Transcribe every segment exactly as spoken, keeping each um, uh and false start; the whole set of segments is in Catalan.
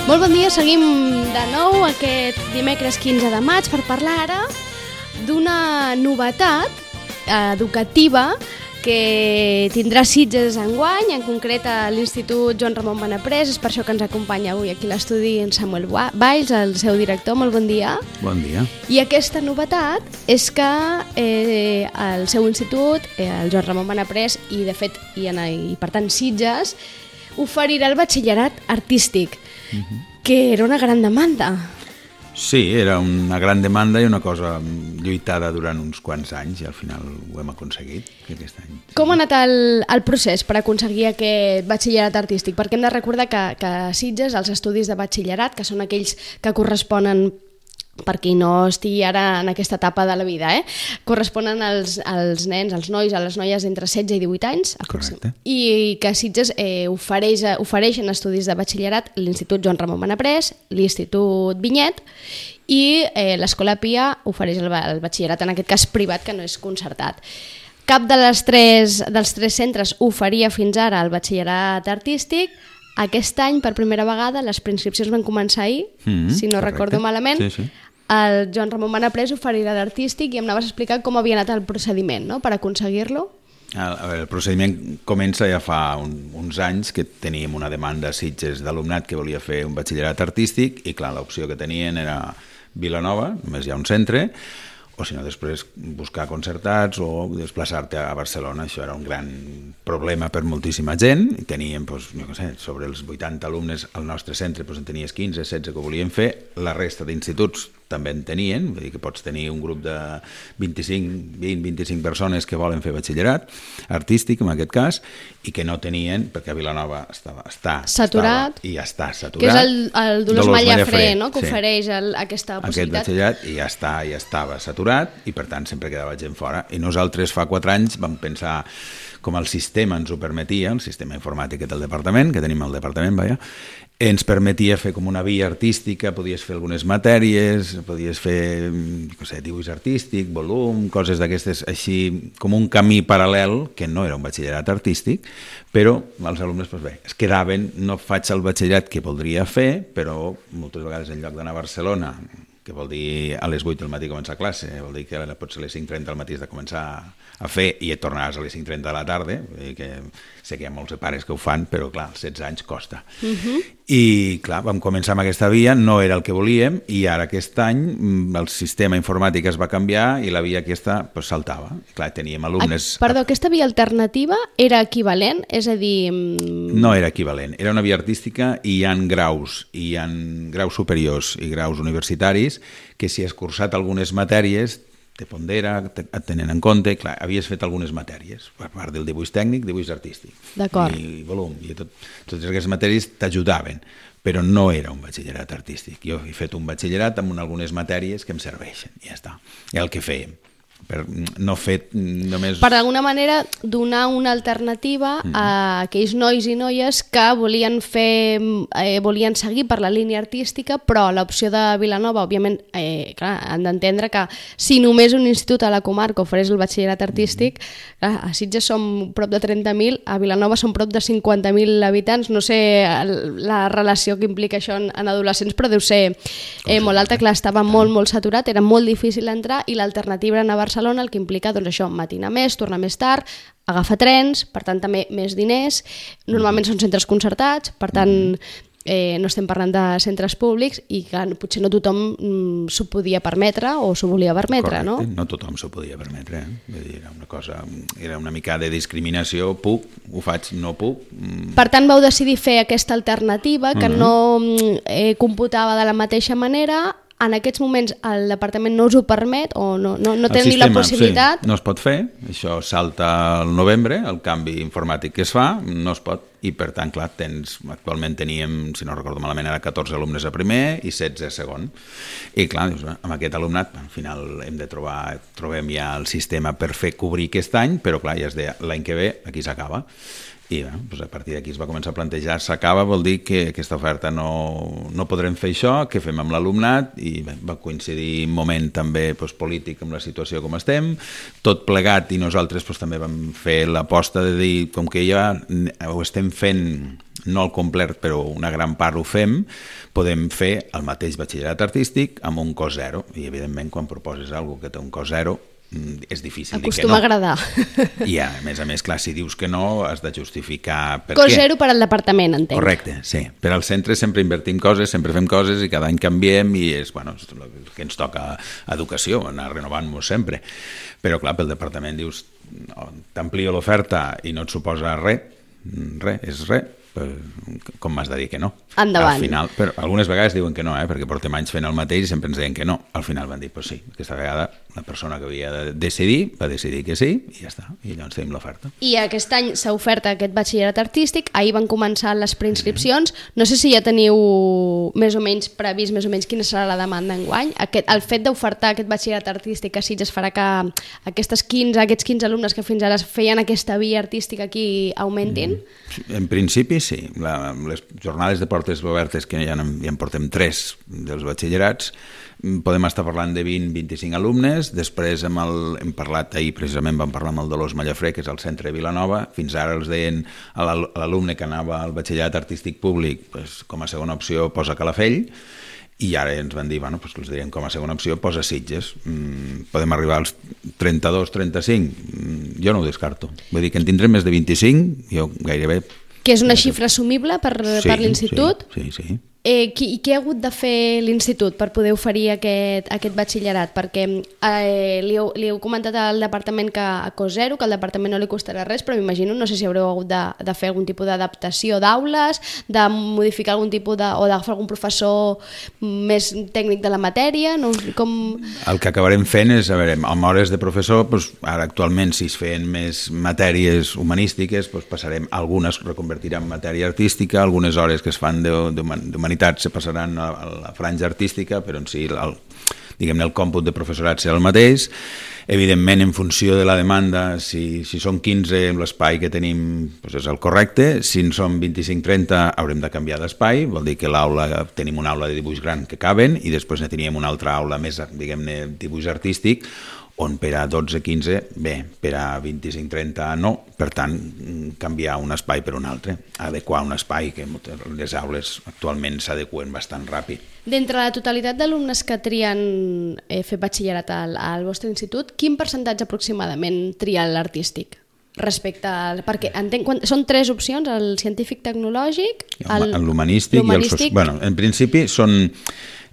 Molt bon dia, seguim de nou aquest dimecres quinze de maig per parlar ara d'una novetat educativa que tindrà Sitges enguany, en concret a l'Institut Joan Ramon Benaprés. És per això que ens acompanya avui aquí a l'estudi en Samuel Valls, el seu director. Molt bon dia. Bon dia. I aquesta novetat és que eh, el seu institut, eh, el Joan Ramon Benaprés, i de fet, i, en, i per tant Sitges, oferirà el batxillerat artístic, uh-huh. que era una gran demanda. Sí, era una gran demanda i una cosa lluitada durant uns quants anys i al final ho hem aconseguit aquest any. Sí. Com ha anat el, el procés per aconseguir aquest batxillerat artístic? Perquè hem de recordar que, que a Sitges els estudis de batxillerat, que són aquells que corresponen, per qui no estigui ara en aquesta etapa de la vida, eh? corresponen als, als nens, als nois, a les noies entre setze i divuit anys. Correcte. I que Sitges eh, ofereix, ofereixen estudis de batxillerat l'Institut Joan Ramon Benaprés, l'Institut Vinyet i eh, l'Escola Pia ofereix el, el batxillerat, en aquest cas privat, que no és concertat. Cap de les tres, dels tres centres oferia fins ara el batxillerat artístic. Aquest any, per primera vegada, les preinscripcions van començar ahir, mm-hmm, si no correcte. Recordo malament. Sí, sí. El Joan Ramon Benaprés oferirà l'artístic i em anaves a explicar com havia anat el procediment, no?, per aconseguir-lo. El, el procediment comença ja fa un, uns anys que teníem una demanda a Sitges d'alumnat que volia fer un batxillerat artístic i clar, l'opció que tenien era Vilanova, només hi ha un centre, o si no després buscar concertats o desplaçar-te a Barcelona. Això era un gran problema per moltíssima gent. Teníem, doncs, no sé, sobre els vuitanta alumnes al nostre centre, doncs en tenies quinze, setze que ho volien fer. La resta d'instituts també en tenien, vull dir que pots tenir un grup de vint-i-cinc, vint, vint-i-cinc persones que volen fer batxillerat artístic, en aquest cas, i que no tenien, perquè a Vilanova estava, està saturat, estava, i ja està saturat. Que és el, el Dolors, Dolors Mallafré, no?, que sí. ofereix el, aquesta possibilitat. Aquest batxillerat i ja està, ja estava saturat i per tant sempre quedava gent fora. I nosaltres fa quatre anys vam pensar, com el sistema ens ho permetia, el sistema informàtic del departament, que tenim al departament, vaja, ens permetia fer com una via artística, podies fer algunes matèries, podies fer, no sé, dibuix artístic, volum, coses d'aquestes, així com un camí paral·lel, que no era un batxillerat artístic, però els alumnes, doncs bé, es quedaven, no faig el batxillerat que voldria fer, però moltes vegades en lloc d'anar a Barcelona, que vol dir a les vuit del matí començar classe, vol dir que potser a les cinc trenta del matí has de començar a fer i et tornaràs a les cinc trenta de la tarda, que sé que hi ha molts pares que ho fan, però clar, als setze anys costa. Uh-huh. I clar, vam començar amb aquesta via, no era el que volíem, i ara aquest any el sistema informàtic es va canviar i la via aquesta pues, saltava. Clar, teníem alumnes... Ah, perdó, aquesta via alternativa era equivalent? És a dir... No era equivalent, era una via artística i hi ha graus, i hi ha graus superiors i graus universitaris que si has cursat algunes matèries te pondera, et tenen en compte, clar, havies fet algunes matèries, per part del dibuix tècnic, dibuix artístic, i volum, i tot, totes aquestes matèries t'ajudaven, però no era un batxillerat artístic. Jo he fet un batxillerat amb algunes matèries que em serveixen, i ja està, i el que fèiem. Per no fet només... Per d'alguna manera donar una alternativa mm-hmm. a aquells nois i noies que volien fer, eh, volien seguir per la línia artística, però l'opció de Vilanova, òbviament, eh, clar, han d'entendre que si només un institut a la comarca ofereix el batxillerat artístic, mm-hmm. clar, a Sitges som prop de trenta mil, a Vilanova som prop de cinquanta mil habitants, no sé la relació que implica això en, en adolescents, però deu ser eh, molt alta, clar, estava molt, molt saturat, era molt difícil entrar i l'alternativa era anar a Barcelona, el que implica doncs, això, matinar més, tornar més tard, agafar trens, per tant també més diners, normalment són centres concertats, per tant eh, no estem parlant de centres públics i que potser no tothom mm, s'ho podia permetre o s'ho volia permetre, correcte, no? No tothom s'ho podia permetre, eh? Vull dir, era una cosa, era una mica de discriminació, puc, ho faig, no puc. Mm. Per tant vau decidir fer aquesta alternativa que uh-huh. no eh, computava de la mateixa manera. En aquests moments el departament no us ho permet o no, no, no té ni la possibilitat? Sí, no es pot fer, això salta al novembre, el canvi informàtic que es fa, no es pot, i per tant, clar, tens, actualment teníem, si no recordo malament, era catorze alumnes a primer i setze a segon, i clar, dius, amb aquest alumnat, al final hem de trobar, trobem ja el sistema per fer cobrir aquest any, però clar, ja es deia, l'any que ve aquí s'acaba. I bé, doncs a partir d'aquí es va començar a plantejar, s'acaba, vol dir que aquesta oferta no, no podrem fer això, què fem amb l'alumnat, i bé, va coincidir un moment també doncs, polític amb la situació com estem, tot plegat, i nosaltres doncs, també vam fer l'aposta de dir, com que ja ho estem fent no el complet, però una gran part ho fem, podem fer el mateix batxillerat artístic amb un cost zero. I, evidentment, quan proposes alguna cosa que té un cost zero, és difícil dir que no. Acostuma a agradar. I, a més a més, clar, si dius que no, has de justificar per cost què. Zero per al departament, entenc. Correcte, sí. Per al centre sempre invertim coses, sempre fem coses i cada any canviem i és, bueno, és el que ens toca educació, anar renovant-nos sempre. Però, clar, pel departament dius, no, t'amplio l'oferta i no et suposa res, res, és res, com m'has de dir que no? Endavant. Al final, però algunes vegades diuen que no, eh, perquè portem anys fent el mateix i sempre ens deien que no. Al final van dir, pues sí, aquesta vegada la persona que havia de decidir va decidir que sí i ja està, i llavors tenim l'oferta. I aquest any s'ha ofert aquest batxillerat artístic, ahir van començar les preinscripcions, no sé si ja teniu més o menys previst més o menys quina serà la demanda enguany. Aquest, el fet d'ofertar aquest batxillerat artístic a Sitges farà que aquestes quinze, aquests quinze alumnes que fins ara feien aquesta via artística aquí augmentin? En principi sí, la, les jornades de portes obertes que ja en, ja en portem tres dels batxillerats, podem estar parlant de vint a vint-i-cinc alumnes. Després hem, el, hem parlat, ahir precisament vam parlar amb el Dolors Mallafré, que és el centre de Vilanova. Fins ara els deien a l'alumne que anava al batxillerat artístic públic, pues, com a segona opció posa Calafell, i ara ens van dir, bueno, pues, els direm com a segona opció posa Sitges. Mm, podem arribar als trenta-dos trenta-cinc, mm, jo no ho descarto. Vull dir que en tindrem més de vint-i-cinc, jo gairebé... Que és una xifra assumible per, sí, per l'institut? Sí, sí, sí. Eh, qui, què ha hagut de fer l'institut per poder oferir aquest, aquest batxillerat? Perquè eh, li, heu, li heu comentat al departament que a cost zero, que al departament no li costarà res, però m'imagino, no sé si haureu hagut de, de fer algun tipus d'adaptació d'aules, de modificar algun tipus de, o d'agafar algun professor més tècnic de la matèria, no? Com... El que acabarem fent és, a veure, amb hores de professor, doncs, ara actualment si es feien més matèries humanístiques, doncs passarem, algunes reconvertirem en matèria artística, algunes hores que es fan d'humanitat se passaran a la franja artística, però en si el, diguem-ne, el còmput de professorat serà el mateix. Evidentment, en funció de la demanda, si, si són quinze, l'espai que tenim doncs és el correcte. Si en són vint-i-cinc trenta, haurem de canviar d'espai. Vol dir que l'aula, tenim una aula de dibuix gran que caben i després ne teníem una altra aula més, diguem-ne, dibuix artístic, on per a dotze quinze, bé, per a vint-i-cinc trenta no, per tant, canviar un espai per un altre, adequar un espai, que les aules actualment s'adequen bastant ràpid. D'entre la totalitat d'alumnes que trien eh, fer batxillerat al, al vostre institut, quin percentatge aproximadament tria l'artístic? Respecte al... Perquè entenc, quan, són tres opcions, el científic tecnològic, el, l'humanístic i el social. Bueno, en principi són...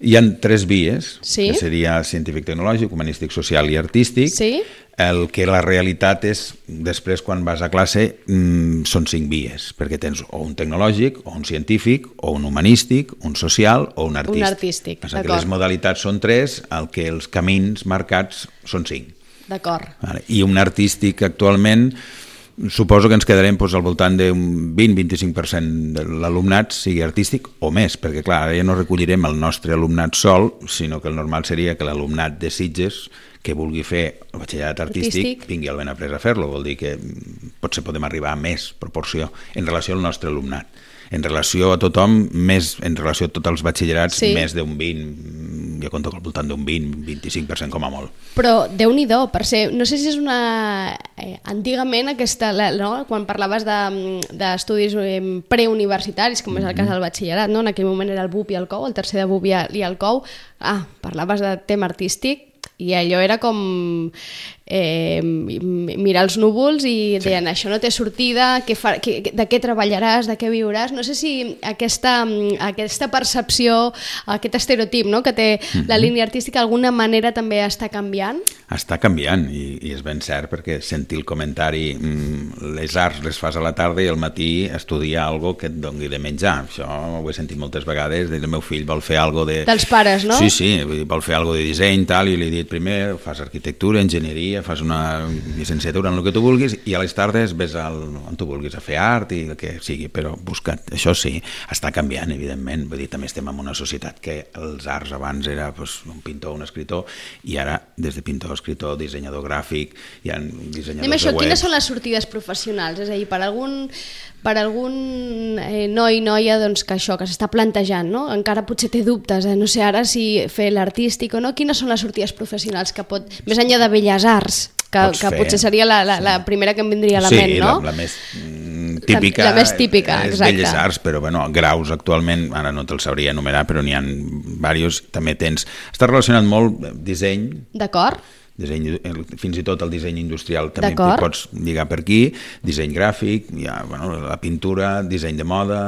Hi ha tres vies, sí? Que seria científic tecnològic, humanístic social i artístic. Sí? El que la realitat és, després quan vas a classe, mmm, són cinc vies, perquè tens o un tecnològic, o un científic, o un humanístic, un social o un artístic. Un artístic, d'acord. Les modalitats són tres, el que els camins marcats són cinc. D'acord. I un artístic actualment... Suposo que ens quedarem doncs, al voltant d'un vint a vint-i-cinc per cent de l'alumnat sigui artístic o més, perquè clar, ara ja no recollirem el nostre alumnat sol, sinó que el normal seria que l'alumnat de Sitges que vulgui fer el batxillerat artístic, artístic vingui al Benaprés a fer-lo. Vol dir que potser podem arribar a més proporció en relació al nostre alumnat. En relació a tothom, més en relació a tots els batxillerats, sí. Més d'un vint, jo conto que al voltant d'un vint a vint-i-cinc per cent com a molt. Però Déu-n'hi-do, per ser, no sé si és una... Eh, antigament aquesta, no? Quan parlaves d'estudis de, eh, preuniversitaris, com és el cas del batxillerat, no? En aquell moment era el B U P i el C O U, el tercer de B U P i el C O U, ah, parlaves de tema artístic, i allò era com eh, mirar els núvols i deien, sí. Això no té sortida, que fa, que, de què treballaràs, de què viuràs. No sé si aquesta, aquesta percepció, aquest estereotip, no?, que té mm-hmm. la línia artística d'alguna manera també està canviant. Està canviant i, i és ben cert, perquè sentir el comentari mm, les arts les fas a la tarda i al matí estudiar algo que et doni de menjar. Això ho he sentit moltes vegades, el meu fill vol fer algo de... Dels pares, no? Sí, sí, vol fer algo de disseny, tal, i li he dit primer fas arquitectura, enginyeria, fas una llicenciatura en el que tu vulguis i a les tardes ves al, on tu vulguis a fer art i el que sigui, però busca't. Això sí, està canviant, evidentment. Vull dir, també estem en una societat que els arts abans era pues, un pintor, un escritor, i ara, des de pintor, escritor, dissenyador gràfic, hi ha dissenyadors Anem això, de webs. Quines són les sortides professionals? És a dir, per algun, per algun eh, noi, noia doncs, que això, que s'està plantejant, no? Encara potser té dubtes, eh? No sé ara si fer l'artístic o no, quines són les sortides professionals que pot, més enllà de Belles Arts, que, que potser seria la, la, la primera que em vindria a la sí, ment, no? La, la més típica, la més típica, és exacte. Belles Arts, però bueno, graus actualment, ara no te'ls sabria enumerar, però n'hi ha diversos, també tens... Està relacionat molt disseny. D'acord. Disseny, fins i tot el disseny industrial també hi pots lligar per aquí, disseny gràfic, ja, bueno, la pintura, disseny de moda,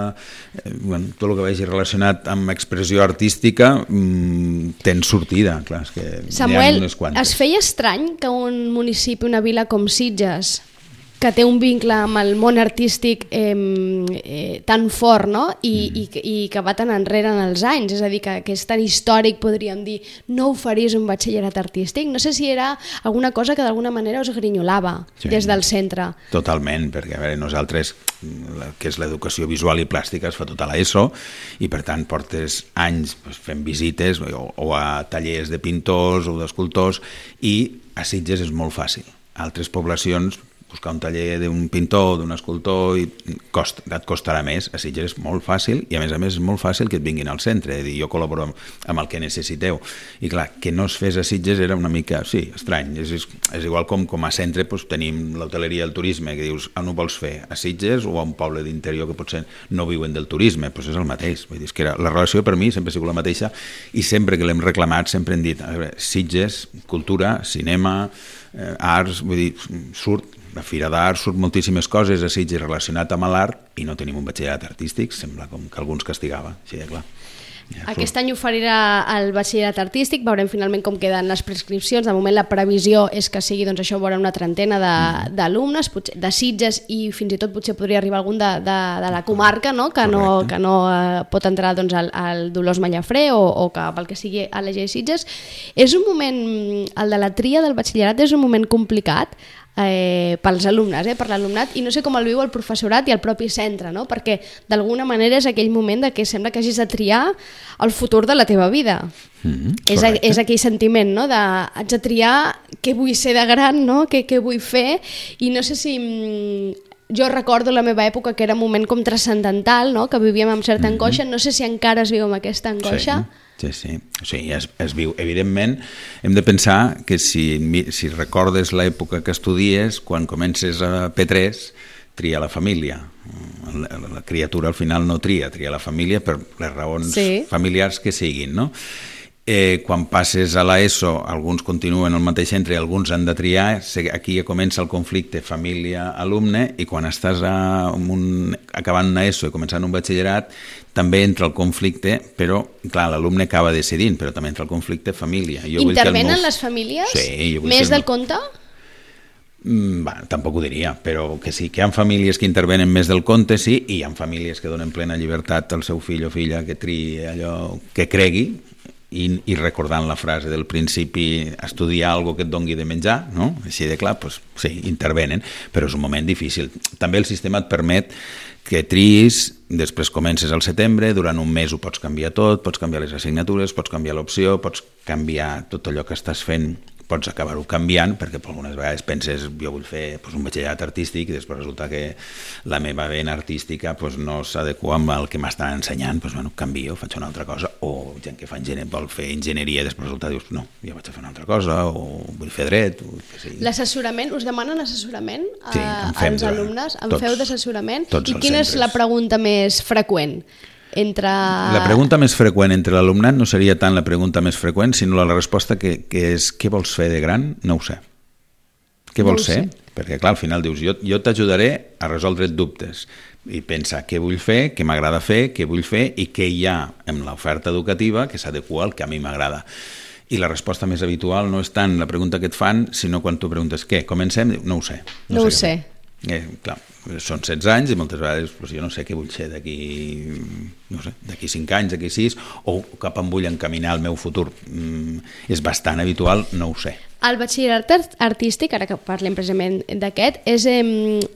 eh, bueno, tot el que vagi relacionat amb expressió artística mmm, tens sortida, clar, és que Samuel, unes quantes. Es feia estrany que un municipi, una vila com Sitges, que té un vincle amb el món artístic eh, eh, tan fort, no? I, mm. i, i que va tan enrere en els anys, és a dir, que, que és tan històric, podríem dir, no ho faries un batxillerat artístic? No sé si era alguna cosa que d'alguna manera us grinyolava sí, des del centre. Totalment, perquè a veure, nosaltres, que és l'educació visual i plàstica, es fa tota l'ESO, i per tant portes anys pues, fent visites o, o a tallers de pintors o d'escultors, i a Sitges és molt fàcil. A altres poblacions buscar un taller d'un pintor, d'un escultor, i costa, et costarà més. A Sitges és molt fàcil, i a més a més és molt fàcil que et vinguin al centre, és a dir, jo col·laboro amb, amb el que necessiteu. I clar, que no es fes a Sitges era una mica, sí, estrany. És, és, és igual com com a centre doncs, tenim l'hoteleria i el turisme, que dius, on ho vols fer? A Sitges o a un poble d'interior que potser no viuen del turisme? Doncs és el mateix. Vull dir, és que era, la relació per mi sempre ha sigut la mateixa, i sempre que l'hem reclamat sempre hem dit, a veure, Sitges, cultura, cinema, eh, arts, vull dir, surt la Fira d'Art, surt moltíssimes coses a Sitges relacionat amb l'art, i no tenim un batxillerat artístic, sembla com que algú ens castigava, així de clar. Ja, Aquest any oferirà el batxillerat artístic, veurem finalment com queden les prescripcions. De moment la previsió és que sigui, doncs això, veurà una trentena d'alumnes, mm. de Sitges, i fins i tot potser podria arribar algun de, de, de la comarca, no? que Correcte. no, que no eh, pot entrar doncs, al, al Dolors Mallafré o, o que pel que sigui a la G Sitges. És un moment, el de la tria del batxillerat és un moment complicat, Eh, pels alumnes, eh, per l'alumnat, i no sé com el viu el professorat i el propi centre, no? Perquè d'alguna manera és aquell moment de que sembla que hagis de triar el futur de la teva vida. Mm-hmm, és, a, és aquell sentiment, no? De, haig de triar què vull ser de gran, no? què, què vull fer, i no sé si... Jo recordo la meva època que era un moment com transcendental, no? Que vivíem amb certa mm-hmm. angoixa, no sé si encara es viu amb aquesta angoixa. Sí. Sí, sí, o sigui, es, es viu. Evidentment, hem de pensar que si, si recordes l'època que estudies, quan comences a P tres, tria la família. La, la criatura al final no tria, tria la família per les raons sí. familiars que siguin, no? Eh, quan passes a l'ESO, alguns continuen al mateix centre i alguns han de triar, aquí ja comença el conflicte família-alumne, i quan estàs a un, acabant una ESO i començant un batxillerat, també entra el conflicte, però clar, l'alumne acaba decidint, però també entra el conflicte família. Jo Intervenen meu... les famílies? Sí, més del compte? Mm, bah, tampoc ho diria, però que sí, que hi ha famílies que intervenen més del compte, sí, i hi ha famílies que donen plena llibertat al seu fill o filla que triï allò que cregui, I, i recordant la frase del principi, estudiar algo que et dongui de menjar, no? Així de clar, doncs, sí, intervenen, però és un moment difícil. També el sistema et permet que triïs, després comences al setembre, durant un mes ho pots canviar tot, pots canviar les assignatures, pots canviar l'opció, pots canviar tot allò que estàs fent, pots acabar-ho canviant, perquè algunes vegades penses, jo vull fer pues, un batxillerat artístic, i després resulta que la meva vena artística pues, no s'adequa amb el que m'estan ensenyant, pues, bueno, canvio, faig una altra cosa, o gent que fa enginyer, vol fer enginyeria i després resulta, dius, no, jo vaig a fer una altra cosa, o vull fer dret, o què sé. L'assessorament, us demanen assessorament a, sí, als alumnes? En tots, feu d'assessorament? I quina centres. És la pregunta més freqüent? Entre... La pregunta més freqüent entre l'alumnat no seria tant la pregunta més freqüent, sinó la resposta que, que és què vols fer de gran? No ho sé. Què no vols ser? Sé. Perquè clar, al final dius, jo, jo t'ajudaré a resoldre dubtes i pensar què vull fer, què m'agrada fer, què vull fer i què hi ha en l'oferta educativa que s'adequa al que a mi m'agrada. I la resposta més habitual no és tant la pregunta que et fan, sinó quan tu preguntes què, comencem? No ho sé. No, no ho sé. Eh, clar, són setze anys i moltes vegades pues, jo no sé què vull ser d'aquí no sé, d'aquí cinc anys, d'aquí sis, o cap on vull encaminar el meu futur. Mm, és bastant habitual, no ho sé. El batxillerat artístic, ara que parlem precisament d'aquest, és eh,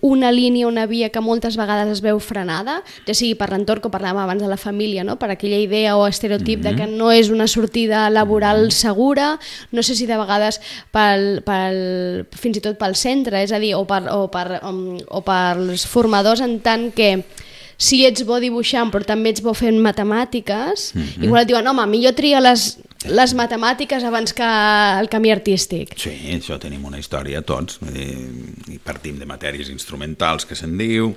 una línia, una via que moltes vegades es veu frenada, ja sigui per l'entorn, com parlàvem abans de la família, no? Per aquella idea o estereotip mm-hmm. de que no és una sortida laboral mm-hmm. segura, no sé si de vegades pel, pel, fins i tot pel centre, és a dir, o per, o per, o, o per els formadors, en tant que si ets bo dibuixant però també ets bo fent matemàtiques, mm-hmm. igual et diuen, home, millor tria les, les matemàtiques abans que el camí artístic. Sí, això tenim una història tots, i partim de matèries instrumentals que se'n diu,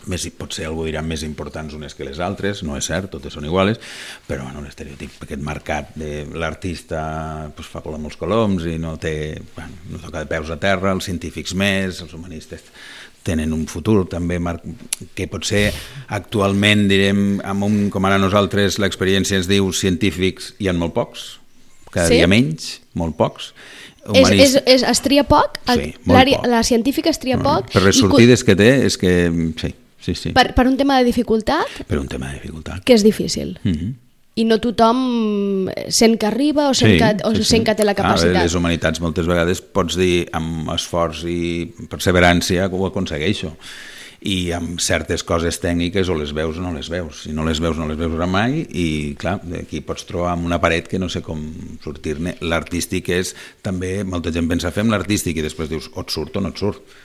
més, potser algú dirà més importants unes que les altres, no és cert, totes són iguales, però bueno, l'estereotip, aquest mercat de l'artista pues, fa volar molts coloms i no té, bueno, no toca de peus a terra, els científics més, els humanistes tenen un futur també que potser actualment direm, amb un, com ara nosaltres l'experiència ens diu científics hi ha molt pocs, cada sí? dia menys, molt pocs. És, és, és, es tria poc? Sí, molt poc. La científica es tria no, poc? Per les sortides que té és que sí. Sí, sí. Per, per un tema de dificultat? Per un tema de dificultat. Que és difícil. Mm-hmm. I no tothom sent que arriba o sent, sí, que, o sí, sent sí. que té la capacitat. Ah, les humanitats moltes vegades pots dir amb esforç i perseverància que ho aconsegueixo. I amb certes coses tècniques o les veus o no les veus. Si no les veus no les veus mai i clar, aquí pots trobar amb una paret que no sé com sortir-ne. L'artístic és també, molta gent pensa fem l'artístic i després dius o et surt o no et surt.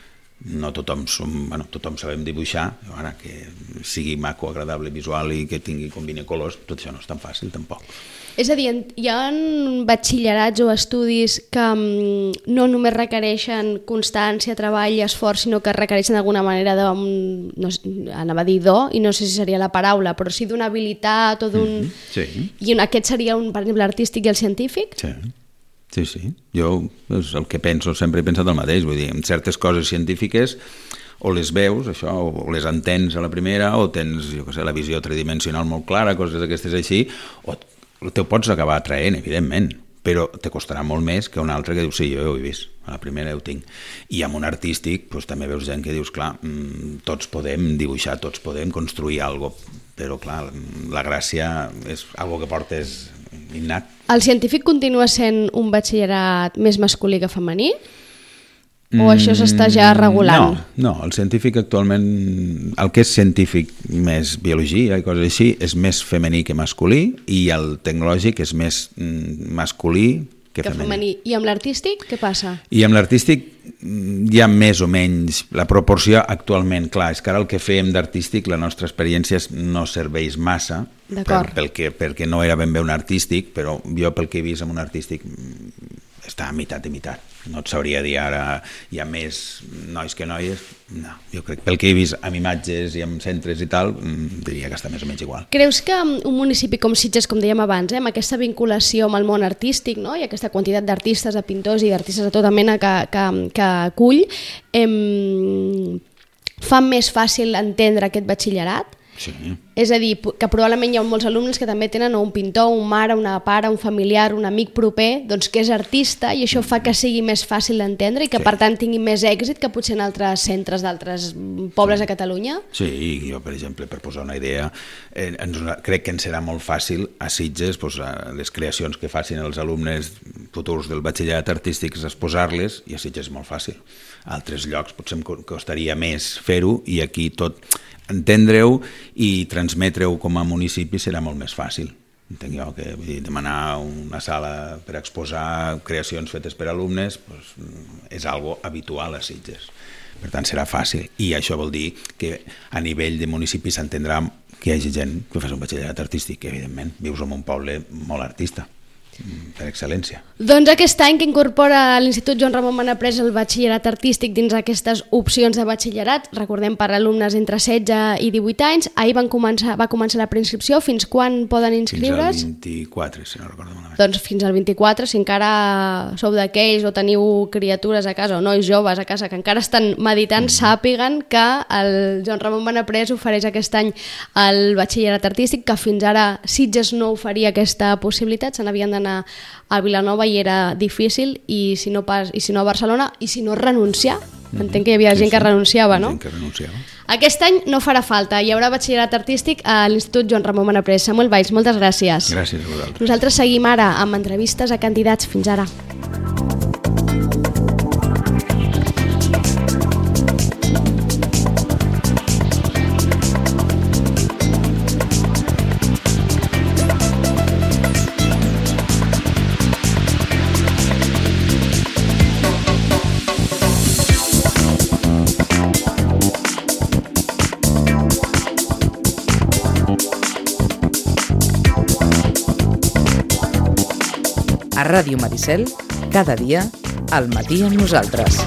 No tothom, som, bueno, tothom sabem dibuixar, ara que sigui maco, agradable, visual i que tingui combini colors, tot això no és tan fàcil tampoc. És a dir, hi ha batxillerats o estudis que no només requereixen constància, treball i esforç, sinó que requereixen d'alguna manera de, no sé, anava a dir do, i no sé si seria la paraula, però sí d'una habilitat o d'un... Mm-hmm, sí. I aquest seria, un, per exemple, l'artístic i el científic? Sí. Sí, sí. Jo és el que penso, sempre he pensat el mateix, vull dir, en certes coses científiques o les veus, això, o les entens a la primera, o tens, jo què sé, la visió tridimensional molt clara, coses d'aquestes així, o te ho pots acabar atraent, evidentment, però te costarà molt més que un altre que dius, sí, jo ho he vist, a la primera ho tinc. I amb un artístic, doncs, també veus gent que dius, clar, tots podem dibuixar, tots podem construir alguna cosa, però clar, la gràcia és algo que portes innat. El científic continua sent un batxillerat més masculí que femení? O això s'està ja regulant? No, no, el científic actualment, el que és científic més biologia i coses així, és més femení que masculí, i el tecnològic és més masculí que, que femení. femení. I amb l'artístic què passa? I amb l'artístic hi ha més o menys la proporció actualment, clar, és que ara el que fèiem d'artístic, la nostra experiència no serveix massa, per, pel que, perquè no era ben bé un artístic, però jo pel que he vist amb un artístic està a meitat i meitat. No et sabria dir ara hi ha més nois que noies, no, jo crec que pel que he vist amb imatges i amb centres i tal, diria que està més o menys igual. Creus que un municipi com Sitges, com dèiem abans, eh, amb aquesta vinculació amb el món artístic, no? I aquesta quantitat d'artistes, de pintors i d'artistes de tota mena que, que, que acull, eh, fa més fàcil entendre aquest batxillerat? Sí. És a dir, que probablement hi ha molts alumnes que també tenen un pintor, un mare, una pare, un familiar, un amic proper, doncs que és artista, i això fa que sigui més fàcil d'entendre i que sí. per tant tingui més èxit que potser en altres centres d'altres pobles sí. a Catalunya? Sí, jo per exemple, per posar una idea, eh, ens, crec que ens serà molt fàcil a Sitges, doncs, a les creacions que facin els alumnes futurs del batxillerat artístic, exposar-les, i a Sitges és molt fàcil. A altres llocs potser em costaria més fer-ho, i aquí tot entendre-ho i transmetre-ho com a municipi serà molt més fàcil. Entenc jo que vull dir, demanar una sala per exposar creacions fetes per alumnes doncs, és algo habitual a Sitges. Per tant, serà fàcil. I això vol dir que a nivell de municipi s'entendrà que hi hagi gent que fa un batxillerat artístic, que evidentment vius en un poble molt artista, per excel·lència. Doncs aquest any que incorpora l'Institut Joan Ramon Benaprés el batxillerat artístic dins aquestes opcions de batxillerat, recordem per alumnes entre setze i divuit anys, ahir van començar, va començar la preinscripció, fins quan poden inscriure's? Fins al vint-i-quatre, si no recordo malament. Doncs fins al vint-i-quatre, si encara sou d'aquells o teniu criatures a casa o nois joves a casa que encara estan meditant, mm. sàpiguen que el Joan Ramon Benaprés ofereix aquest any el batxillerat artístic, que fins ara Sitges no oferia aquesta possibilitat, se n'havien d'anar a Vilanova i era difícil, i si no pas, i si no a Barcelona, i si no renunciar. Entenc que hi havia sí, gent que sí. renunciava, no? Gent que renunciava. Aquest any no farà falta, hi haurà batxillerat artístic a l'Institut Joan Ramon Benaprés. Samuel Valls, moltes gràcies. Gràcies a vosaltres. Nosaltres seguim ara amb entrevistes a candidats. Fins ara. A Ràdio Maricel, cada dia, al matí amb nosaltres.